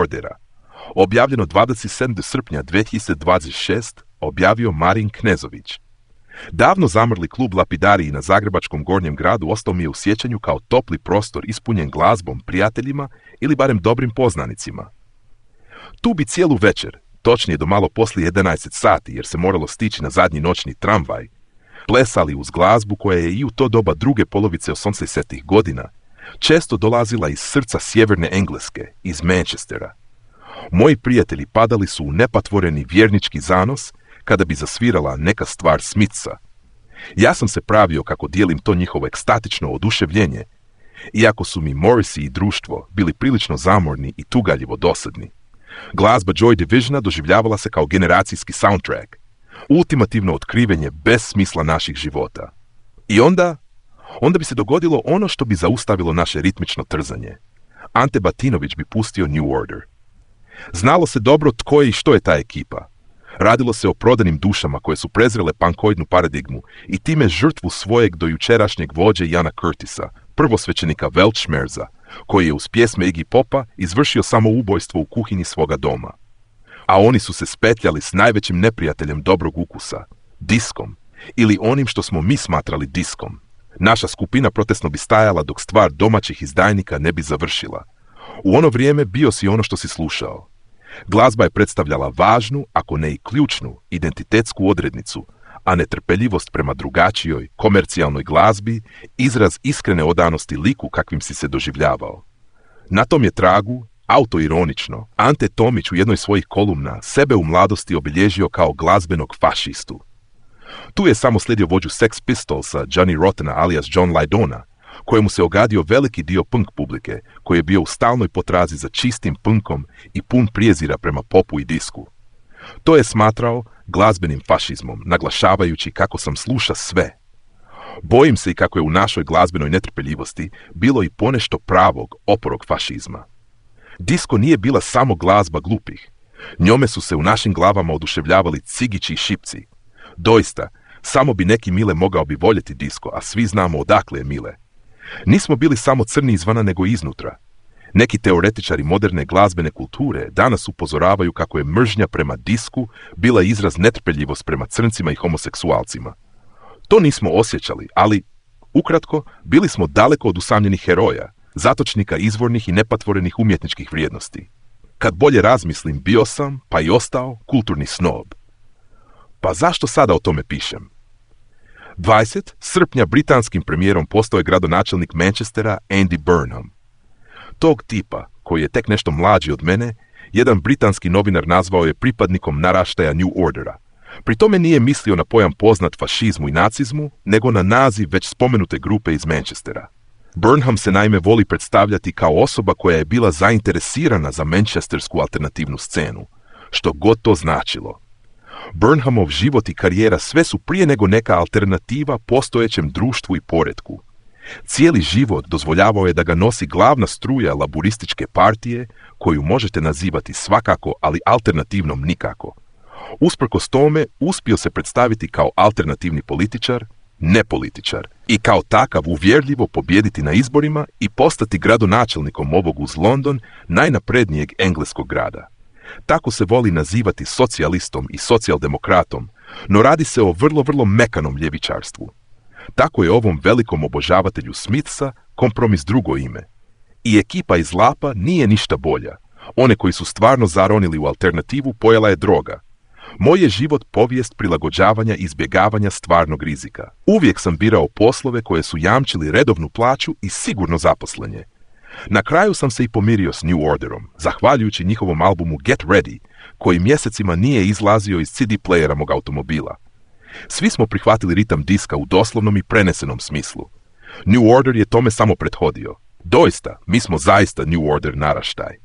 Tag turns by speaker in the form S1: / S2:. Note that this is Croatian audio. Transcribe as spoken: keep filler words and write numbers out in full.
S1: Ordera. Objavljeno dvadeset sedmog srpnja dve hiljade dvadeset šeste. Objavio Marin Knezović. Davno zamrli klub Lapidariji na zagrebačkom Gornjem gradu ostao mi je u sjećanju kao topli prostor ispunjen glazbom, prijateljima ili barem dobrim poznanicima. Tu bi cijelu večer, točnije do malo poslije jedanaest sati jer se moralo stići na zadnji noćni tramvaj, plesali uz glazbu koja je i u to doba druge polovice osamdesetih godina često dolazila iz srca sjeverne Engleske, iz Manchestera. Moji prijatelji padali su u nepatvoreni vjernički zanos kada bi zasvirala neka stvar Smitha. Ja sam se pravio kako dijelim to njihovo ekstatično oduševljenje, iako su mi Morrissey i društvo bili prilično zamorni i tugaljivo dosadni. Glazba Joy Divisiona doživljavala se kao generacijski soundtrack, ultimativno otkrivenje bez smisla naših života. I onda, onda bi se dogodilo ono što bi zaustavilo naše ritmično trzanje. Ante Batinović bi pustio New Order. Znalo se dobro tko je i što je ta ekipa. Radilo se o prodanim dušama koje su prezrele pankoidnu paradigmu i time žrtvu svojeg dojučerašnjeg vođe Jana Curtisa, prvosvećenika Weltschmerza, koji je uz pjesme Iggy Popa izvršio samoubojstvo u kuhinji svoga doma. A oni su se spetljali s najvećim neprijateljem dobrog ukusa, diskom, ili onim što smo mi smatrali diskom. Naša skupina protestno bi stajala dok stvar domaćih izdajnika ne bi završila. U ono vrijeme bio si ono što si slušao. Glazba je predstavljala važnu, ako ne i ključnu, identitetsku odrednicu, a netrpeljivost prema drugačijoj, komercijalnoj glazbi, izraz iskrene odanosti liku kakvim si se doživljavao. Na tom je tragu, autoironično, Ante Tomić u jednoj svojih kolumna sebe u mladosti obilježio kao glazbenog fašistu. Tu je samo slijedio vođu Sex Pistolsa, Johnny Rottena alias John Lydona, kojemu se ogadio veliki dio punk publike, koji je bio u stalnoj potrazi za čistim punkom i pun prijezira prema popu i disku. To je smatrao glazbenim fašizmom, naglašavajući kako sam sluša sve. Bojim se i kako je u našoj glazbenoj netrpeljivosti bilo i ponešto pravog, oporog fašizma. Disko nije bila samo glazba glupih. Njome su se u našim glavama oduševljavali cigići i šipci. Doista, samo bi neki Mile mogao bi voljeti disko, a svi znamo odakle je Mile. Nismo bili samo crni izvana nego iznutra. Neki teoretičari moderne glazbene kulture danas upozoravaju kako je mržnja prema disku bila izraz netrpeljivost prema crncima i homoseksualcima. To nismo osjećali, ali, ukratko, bili smo daleko od usamljenih heroja, zatočnika izvornih i nepatvorenih umjetničkih vrijednosti. Kad bolje razmislim, bio sam, pa i ostao, kulturni snob. Pa zašto sada o tome pišem? dvadesetog srpnja britanskim premijerom postao je gradonačelnik Manchestera Andy Burnham. Tog tipa, koji je tek nešto mlađi od mene, jedan britanski novinar nazvao je pripadnikom naraštaja New Ordera. Pri tome nije mislio na pojam poznat fašizmu i nacizmu, nego na naziv već spomenute grupe iz Manchestera. Burnham se naime voli predstavljati kao osoba koja je bila zainteresirana za manchestersku alternativnu scenu, što god to značilo. Burnhamov život i karijera sve su prije nego neka alternativa postojećem društvu i poretku. Cijeli život dozvoljavao je da ga nosi glavna struja laburističke partije, koju možete nazivati svakako, ali alternativnom nikako. Usprkos tome, uspio se predstaviti kao alternativni političar, ne političar, i kao takav uvjerljivo pobijediti na izborima i postati gradonačelnikom ovog uz London najnaprednijeg engleskog grada. Tako se voli nazivati socijalistom i socijaldemokratom, no radi se o vrlo, vrlo mekanom ljevičarstvu. Tako je ovom velikom obožavatelju Smitha kompromis drugo ime. I ekipa iz Lapa nije ništa bolja. One koji su stvarno zaronili u alternativu pojela je droga. Moj je život povijest prilagođavanja i izbjegavanja stvarnog rizika. Uvijek sam birao poslove koje su jamčili redovnu plaću i sigurno zaposlenje. Na kraju sam se i pomirio s New Orderom, zahvaljujući njihovom albumu Get Ready, koji mjesecima nije izlazio iz C D playera mog automobila. Svi smo prihvatili ritam diska u doslovnom i prenesenom smislu. New Order je tome samo prethodio. Doista, mi smo zaista New Order naraštaj.